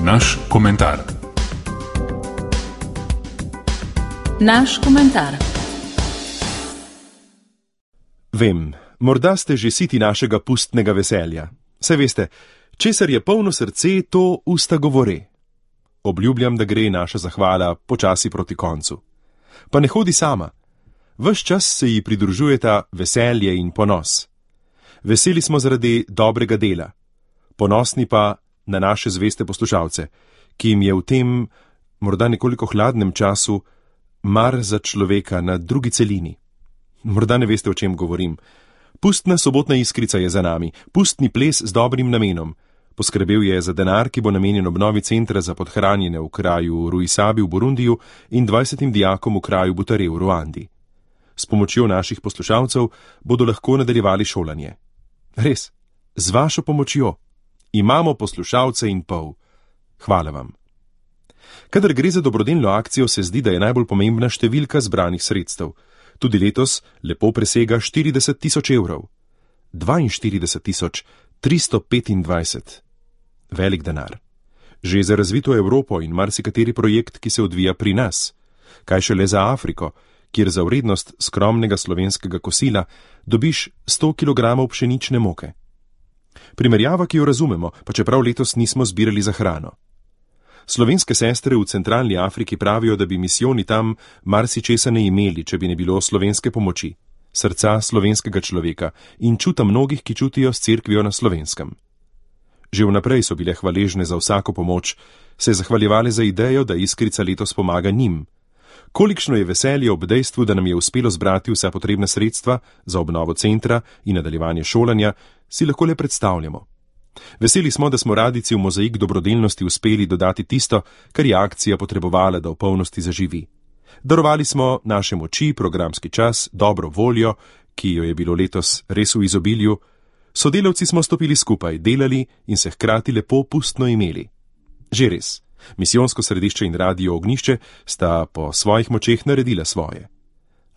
Naš komentar. Naš komentar. Vem, morda ste že siti našega pustnega veselja. Saj veste, česar je polno srce, to usta govore. Obljubljam, da gre naša zahvala počasi proti koncu. Pa ne hodi sama. Ves čas se ji pridružujeta veselje in ponos. Veseli smo zaradi dobrega dela. Ponosni pa na naše zveste poslušalce, ki jim je v tem, morda nekoliko hladnem času, mar za človeka na drugi celini. Morda ne veste, o čem govorim. Pustna sobotna iskrica je za nami, pustni ples z dobrim namenom. Poskrbel je za denar, ki bo namenjen obnovi centra za podhranjene v kraju Ruisabi v Burundiju in 20 dijakom v kraju Butare v Ruandi. S pomočjo naših poslušalcev bodo lahko nadaljevali šolanje. Res, z vašo pomočjo. Imamo poslušalce in pol. Hvala vam. Kadar gre za dobrodelno akcijo, se zdi, da je najbolj pomembna številka zbranih sredstev. Tudi letos lepo presega 40 tisoč evrov. 42 325. Velik denar. Že za razvito Evropo in marsikateri projekt, ki se odvija pri nas. Kaj šele za Afriko, kjer za vrednost skromnega slovenskega kosila dobiš 100 kg pšenične moke. Primerjava, ki jo razumemo, pa čeprav letos nismo zbirali za hrano. Slovenske sestre v centralni Afriki pravijo, da bi misijoni tam marsičesa ne imeli, če bi ne bilo slovenske pomoči, srca slovenskega človeka in čuta mnogih, ki čutijo s cerkvijo na Slovenskem. Že vnaprej so bile hvaležne za vsako pomoč, se zahvaljevale za idejo, da iskrica letos pomaga njim. Kolikšno je veselje ob dejstvu, da nam je uspelo zbrati vsa potrebna sredstva za obnovo centra in nadaljevanje šolanja, si lahko le predstavljamo. Veseli smo, da smo radici v mozaik dobrodelnosti uspeli dodati tisto, kar je akcija potrebovala, da v polnosti zaživi. Darovali smo naše moči, programski čas, dobro voljo, ki jo je bilo letos res v izobilju. Sodelavci smo stopili skupaj, delali in se hkrati lepo pustno imeli. Že res. Misijonsko središče in radio Ognjišče sta po svojih močeh naredila svoje.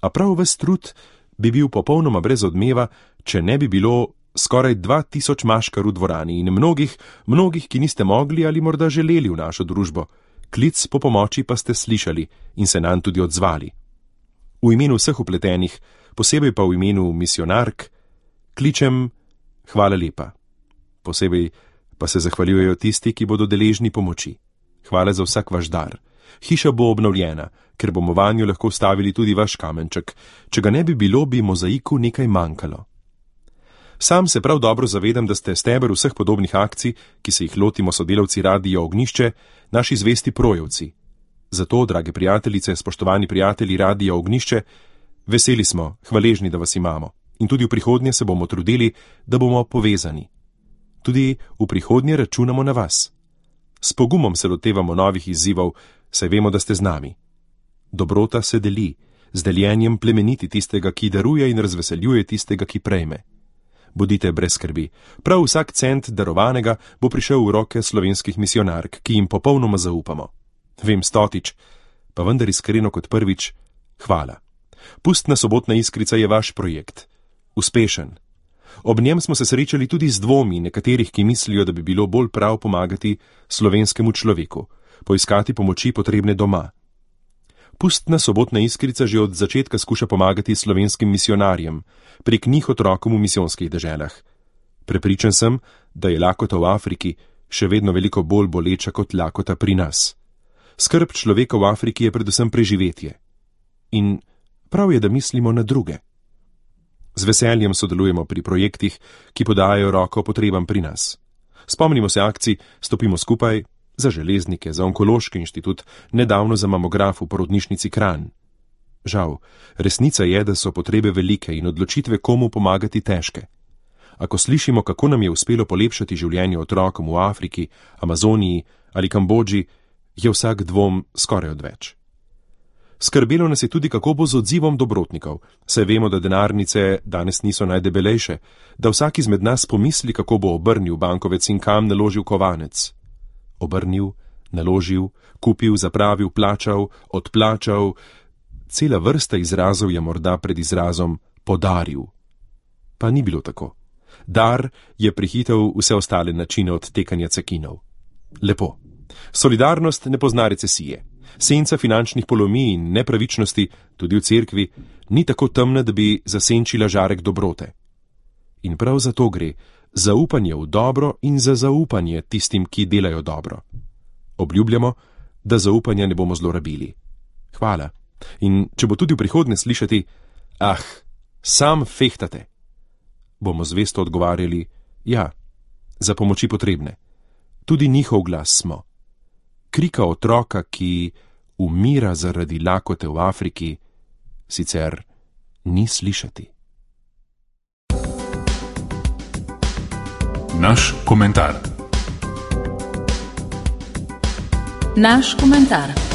A prav ves trud bi bil popolnoma brez odmeva, če ne bi bilo skoraj 2000 maškar v dvorani in mnogih, ki niste mogli ali morda želeli v našo družbo. Klic po pomoči pa ste slišali in se nanj tudi odzvali. V imenu vseh vpletenih, posebej pa v imenu misionark, kličem hvala lepa. Posebej pa se zahvaljujejo tisti, ki bodo deležni pomoči. Hvala za vsak vaš dar. Hiša bo obnovljena, ker bomo vanjo lahko vstavili tudi vaš kamenček. Če ga ne bi bilo, bi mozaiku nekaj manjkalo. Sam se prav dobro zavedam, da ste steber vseh podobnih akcij, ki se jih lotimo sodelavci Radia Ognjišče, naši zvesti projevci. Zato, drage prijateljice, spoštovani prijatelji Radia Ognjišče, veseli smo, hvaležni, da vas imamo. In tudi v prihodnje se bomo trudili, da bomo povezani. Tudi v prihodnje računamo na vas. S pogumom se lotevamo novih izzivov, saj vemo, da ste z nami. Dobrota se deli, z deljenjem plemeniti tistega, ki daruje in razveseljuje tistega, ki prejme. Bodite brez skrbi, prav vsak cent darovanega bo prišel v roke slovenskih misionark, ki jim popolnoma zaupamo. Vem stotič, pa vendar iskreno kot prvič, hvala. Pustna sobotna iskrica je vaš projekt. Uspešen. Ob njem smo se srečali tudi z dvomi nekaterih, ki mislijo, da bi bilo bolj prav pomagati slovenskemu človeku, poiskati pomoči potrebne doma. Pustna sobotna iskrica že od začetka skuša pomagati slovenskim misionarjem, prek njih otrokom v misijonskih deželah. Prepričan sem, da je lakota v Afriki še vedno veliko bolj boleča kot lakota pri nas. Skrb človeka v Afriki je predvsem preživetje. In prav je, da mislimo na druge. Z veseljem sodelujemo pri projektih, ki podajajo roko potrebam pri nas. Spomnimo se akcij Stopimo skupaj, za železnike, za onkološki inštitut, nedavno za mamograf v porodnišnici Kranj. Žal, resnica je, da so potrebe velike in odločitve komu pomagati težke. Ako slišimo, kako nam je uspelo polepšati življenje otrokom v Afriki, Amazoniji ali Kambodži, je vsak dvom skoraj odveč. Skrbelo nas je tudi, kako bo z odzivom dobrotnikov, saj vemo, da denarnice danes niso najdebelejše, da vsak izmed nas pomisli, kako bo obrnil bankovec in kam naložil kovanec. Obrnil, naložil, kupil, zapravil, plačal, odplačal. Cela vrsta izrazov je morda pred izrazom podaril. Pa ni bilo tako. Dar je prehitel vse ostale načine odtekanja cekinov. Lepo, Solidarnost ne pozna recesije. Senca finančnih polomij in nepravičnosti, tudi v cerkvi, ni tako temna, da bi zasenčila žarek dobrote. In prav za to gre, zaupanje v dobro in za zaupanje tistim, ki delajo dobro. Obljubljamo, da zaupanja ne bomo zlorabili. Hvala. In če bo tudi v prihodnje slišati, sam fehtate, bomo zvesto odgovarjali, ja, za pomoči potrebne. Tudi njihov glas smo. Krika otroka, ki umira zaradi lakote v Afriki, sicer ni slišati. Naš komentar. Naš komentar.